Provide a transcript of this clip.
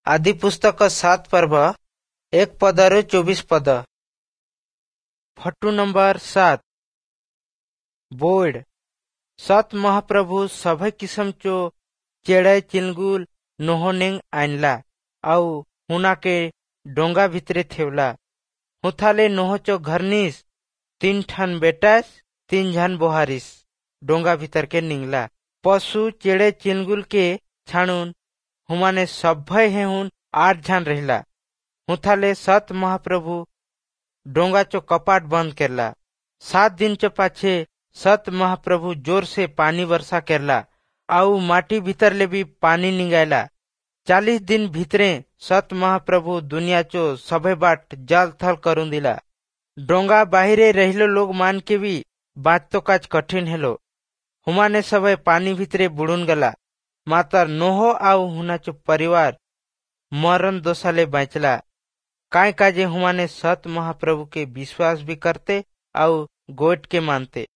ଆଦିପୁସ୍ତକ 7 ପର୍ବ 1 ପଦରୁ 24 ପଦ। Photo number 7। ବୋର୍ଡ ସତ ମହାପ୍ରଭୁ ସଭେ କିସମ ଚୋ ଚେଡ଼େ ଚିଲଗୁଲ ନୋହନେଙ୍ଗ ଆନଲା ଆଉ हुनाके डोंगा भितरे थेवला। हुथाले नोहचो घरनीस 3 ठन बेटास 3 झन बोहारिस डोंगा भीतर के निंगला। पशु चेड़े चिलगुल के छाणुन हुमाने सभ्य हेहुन 8 झन रहिला। हुथाले सत महाप्रभु डोंगा चो कपाट बंद करला। 7 दिन चो पाछे सत महाप्रभु जोर से पानी वर्षा करला आउ माटी भीतर ले भी पानी निंगायला। 40 दिन भीतरे सत महाप्रभु दुनिया चो सभे बाट जल थल करून दिला। डोंगा बाहिरे रहिलो लोग मान के भी बाँचतो काज कठिन हेलो। हुमाने सभे पानी भीतरे बुड़ुन गला। मातर नोहो आउ हुनाचो परिवार मरण दोषाले बाँचला। काय काजे हुमाने सत महाप्रभु के विश्वास भी करते आउ गोट के मानते।